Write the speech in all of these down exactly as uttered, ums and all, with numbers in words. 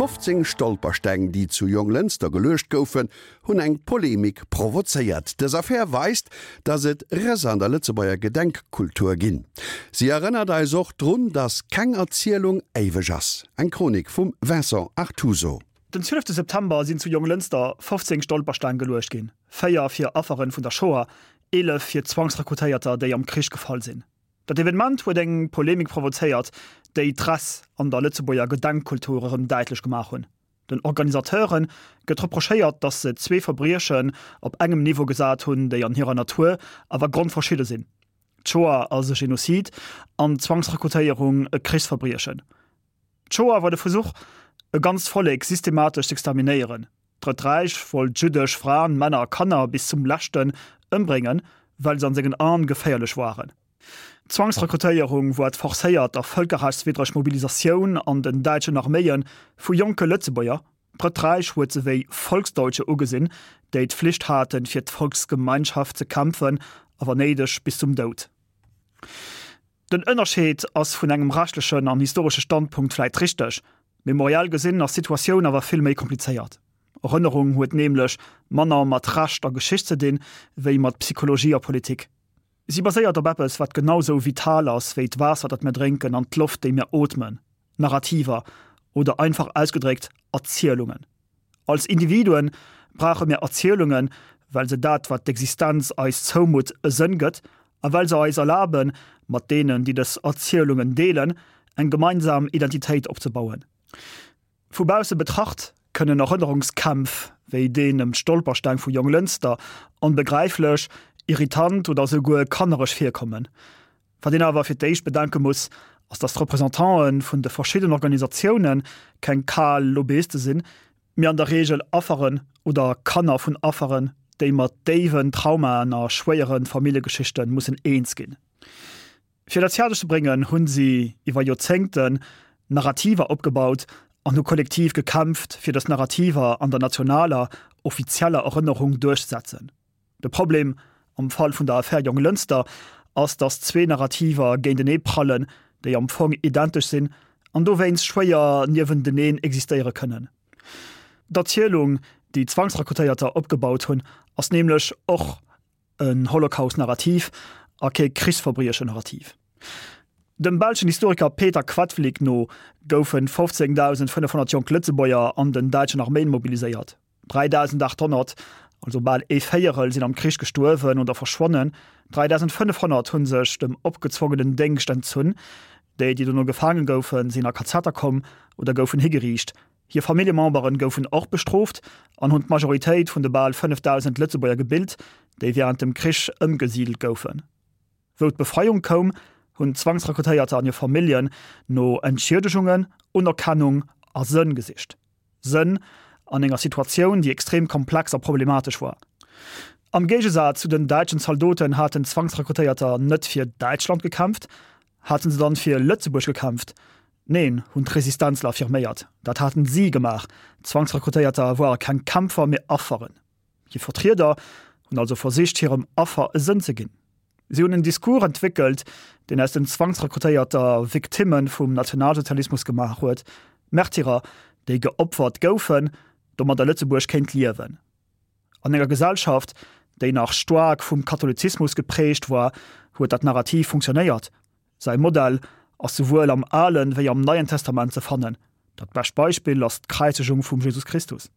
fofzéng Stolpersteng, déi zu Jonglënster geluecht goufen, hunn eng Polemik provozéiert. Dës Affär weist, datt et Rëss an der Lëtzebuerger Gedenkkultur ginn. Si erënnert eis och drun, datt keng Erzielung éiweg ass. Eng Chronik vum Vincent Artuso. Den zwielefte September sinn zu Jonglënster fofzéng Stolpersteng geluecht ginn, véier fir Afferen vun der Shoah, eelef fir Zwangsrekrutéierter, déi am Krich gefall sinn. Dat Evenement huet eng Polemik provozéiert, déi d'Ress an der Lëtzebuerger Gedenkkultur erëm däitlech gemaach hunn. Den Organisateure gëtt reprochéiert, datt se zwee Verbriechen op engem Niveau gesat hunn, déi an hirer Natur awer grondverschidde sinn, d'Shoah ass e Genozid an d'Zwangsrekrutéierung e Krichsverbriechen. D'Shoah war de Versuch, e ganzt Vollek systematesch z'exterminéieren. D'Drëtt Räich wollt jüddesch Fraen, Männer a Kanner bis zum leschten ëmbréngen, well se an sengen Aen geféierlech waren. D'Zwangsrekrutéierung war d'forcéiert a vëlkerrechtswiddreg Mobilisatioun an den däitschen Arméie vu jonke Lëtzebuerger. D'Drëtt Räich huet se wéi Volksdeutsche ugesinn, déi d'Flicht haten, fir d'Volksgemeinschaft ze kämpfen a wann néideg bis zum Doud. Den Ënnerscheed ass vun engem rechtlechen an historesche Standpunkt vläit richteg, memoriell gesinn ass d'Situatioun awer vill méi komplizéiert. Erënnerung huet nämlech manner mat Recht a Geschicht ze dinn, wéi mat Psychologie a Politik. Si baséiert op eppes, wat genau sou vital ass wéi d'Waasser, dat mir drénken, an d'Loft, déi mir ootmen, Narrativer, oder einfach ausgedréckt, Erzielungen. Als Individuen brauche mir Erzielungen, well se dat, wat d'Existenz eis zoumutt, e Sënn gëtt a well se eis erlaben, mat deenen, déi dës Erzielungen deelen, eng gemeinsam Identitéit opzebauen. Vu bausse betracht kënnen Erënnerungskämpf wéi deen ëm d'Stolpersteng vu Jonglënster onbegräiflech, irritant oder esouguer kannereg virkommen. Wat een awer fir d'éischt bedenke muss, ass datt d'Representanten vun de verschiddenen Organisatioune keng kal Lobbyiste sinn, mee an der Reegel Afferen oder Kanner vun Afferen, déi mat déiwen Traumaen a schwéiere Familljegeschichte mussen eens ginn. Fir dat fäerdeg ze bréngen, hunn si iwwer Joerzéngten Narrativer opgebaut an hu kollektiv gekämpft, fir dës Narrativer an der nationaler, offizieller Erënnerung duerchzesetzen. De Problem am Fall vun der Affär Jonglënster ass, datt zwee Narrativer géintenee prallen, déi am Fong identesch sinn an dowéinst schwéier niewenteneen existéiere kënnen. D'Erzielung, déi d'Zwangsrekrutéierter opgebaut hunn, ass nämlech och en Holocaust-Narrativ a kee Krichsverbriechen-Narrativ. Dem belschen Historiker Peter Quadflieg no goufe fofzéngdausendfënnefhonnert jonk Lëtzebuerger an den däitschen Arméien mobiliséiert. dräidausendachthonnert, also bal ee Véierel, sinn am Krich gestuerwen oder verschwonnen, dräidausendfënnefhonnert hu sech dem opgezwongenen Déngscht entzunn. Déi, déi dono gefaange goufen, sinn a Kazetter komm oder goufen higeriicht. Hir Familljemembere goufen och bestrooft an hunn d'Majoritéit vun de bal fënnefdausend Lëtzebuerger gebilt, déi wärend dem Krich ëmgesidelt goufen. Wou d'Befreiung koum, hunn d'Zwangsrekrutéierter an hir Familljen no Entschiedegungen, Unerkennung a Sënn gesicht. Sënn an enger Situatioun, déi extrem komplex a problematesch war. Am Géigesaz zu den däitschen Zaldoten haten d'Zwangsrekrutéierter net fir Däitschland gekämpft. Haten se dann fir Lëtzebuerg gekämpft? Neen, hunn d'Resistenzler affirméiert. Dat haten si gemaach. D'Zwangsrekrutéierter ware keng Kämpfer, mee Afferen. Hir Vertrieder hunn also versicht, hirem Affer e Sënn ze ginn. Si hunn en Discours entwéckelt, deen aus den Zwangsrekrutéierter Victimme vum Nationalsozialismus gemaach huet, Märtyrer, déi geopfert goufen, domadder Lëtzebuerg kéint liewen. An enger Gesellschaft, déi nach staark vum Katholizismus geprägt war, huet dat Narrativ funktionéiert. Säi Modell ass souwuel am Alen wéi am Neien Testament ze fannen. Dat bescht Beispill ass d'Kräizegung vum Jesus Christus.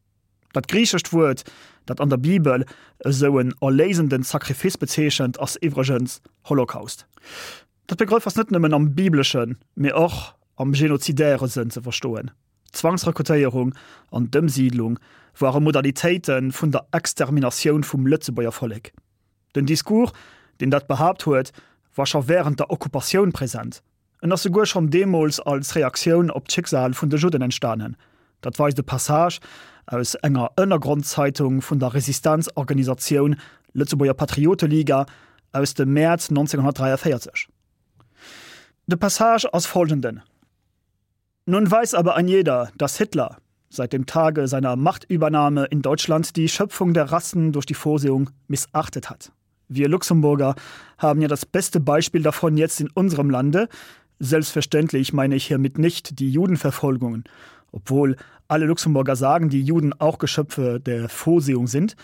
Dat griichescht Wuert, dat an der Bibel esou en erléisenden Sacrifice bezeechent, ass iwwregens Holocaust. Dat Begrëff ass net nëmmen am bibleschen, mee och am genozidäre Sënn ze verstoen. D'Zwangsrekrutéierung an d'Ëmsiidlung ware Modalitéite vun der Exterminatioun vum Lëtzebuerger Vollek. Den Discours, deen dat behaapt huet, war scho wärend der Okkupatioun present. En ass souguer schonn deemools als Reaktioun op d'Schicksal vun de Judden entstanen. Dat weist e Passage aus enger Ënnergrondzeitung vun der Resistenzorganisatioun Lëtzebuerger Patrioteliga aus dem Mäerz neunzehnhundertdräiavéierzeg. De Passage ass follgenden. Nun weiß aber ein jeder, dass Hitler seit dem Tage seiner Machtübernahme in Deutschland die Schöpfung der Rassen durch die Vorsehung missachtet hat. Wir Luxemburger haben ja das beste Beispiel davon jetzt in unserem Lande. Selbstverständlich meine ich hiermit nicht die Judenverfolgungen, obwohl alle Luxemburger sagen, die Juden auch Geschöpfe der Vorsehung sind,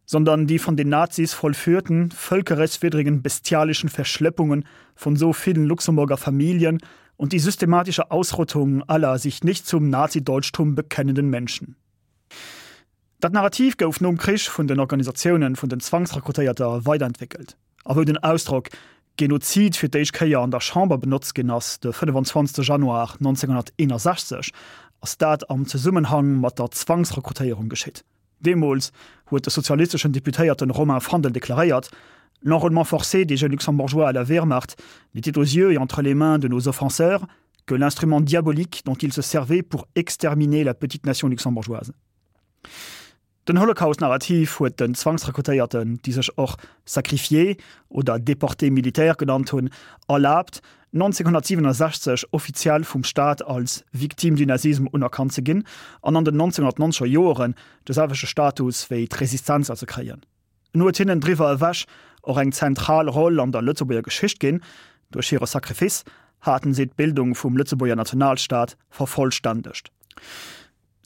sondern die von den Nazis vollführten völkerrechtswidrigen bestialischen Verschleppungen von so vielen Luxemburger Familien und die systematische Ausrottung aller sich nicht zum Nazideutschtum bekennenden Menschen. Dat Narrativ gouf nom Krich vun den Organisatiounen vun den Zwangsrekrutéierte weiderentwéckelt. A wou den Ausdrock Genozid fir d'éischt Kéier an der Chamber benotzt ginn ass, de fënnefenzwanzegste Januar neunzehnhunnerteenundsechzeg, ass dat am Zesummenhang mat der Zwangsrekrutéierung geschitt. Deemools huet de sozialisteschen Deputéierten Romain Fandel deklaréiert, L'enrôlement forcé des jeunes Luxembourgeois à la Wehrmacht n'était aux yeux et entre les mains de nos offenseurs que l'instrument diabolique dont ils se servaient pour exterminer la petite nation luxembourgeoise. Den Holocaust-Narrativ huet den Zwangsrekrutéierten, déi sech och Sacrifiés oder Déportés militaires genannt hunn, erlaabt, neunzehnhunnertsiewenundsechzeg offiziell vum Staat als Victimes du Nazisme unerkannt ze ginn an an den neunzehnhunnertnonzeger Joren de selwechte Status wéi d'Resistenzler ze kréien. En huet hinnen driwwer ewech och eng zentral Roll an der Lëtzebuerger Geschicht ginn, duerch hire Sacrifice haten si d'Bildung vum Lëtzebuerger Nationalstaat vervollstännegt.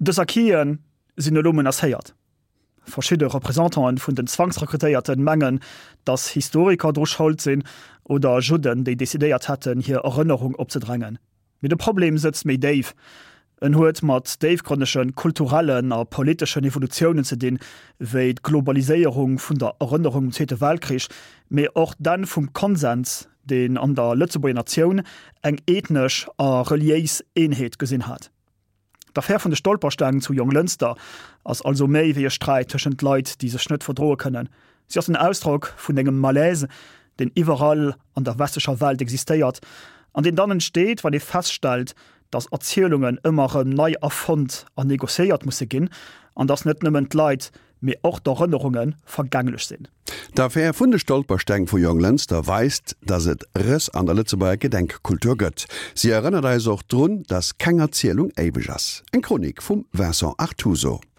Dës Acquisen sinn elo menacéiert. Verschidde Representanten vun den Zwangsrekrutéierten mengen, dass Historiker dru Schold sinn oder Judden, déi decidéiert hätten, hir Erënnerung opzedrängen. Mee de Problem sëtzt méi déif. En huet mat déifgrënnege kulturellen a politeschen Evolutiounen ze dinn, wéi d'Globaliséierung vun der Erënnerung um Zweete Weltkrich, mee och d'Enn vum Konsens, deen an der Lëtzebuerger Natioun eng ethnesch a reliéis Eenheet gesinn hat. D'Affär vun de Stolpersteng zu Jonglënster ass also méi wéi e Sträit tëschent Leit, déi sech net verdroe kënnen. Si ass en Ausdrock vun engem Malaise, deen iwwerall an der westlecher Welt existéiert an deen dann entsteet, wann ee feststellt, dass Erzielungen ëmmer erëm nei erfonnt an negociéiert musse ginn an dass net nëmmen d'Leit, mee och d'Erënnerunge vergänglech sinn. D'Affär vun de Stolpersteng vu Jonglënster weist, dass et Rëss an der Lëtzebuerger Gedenkkultur gëtt. Si erënnert eis och drun, dass keng Erzielung éiweg ass. Eng Chronik vum Vincent Artuso.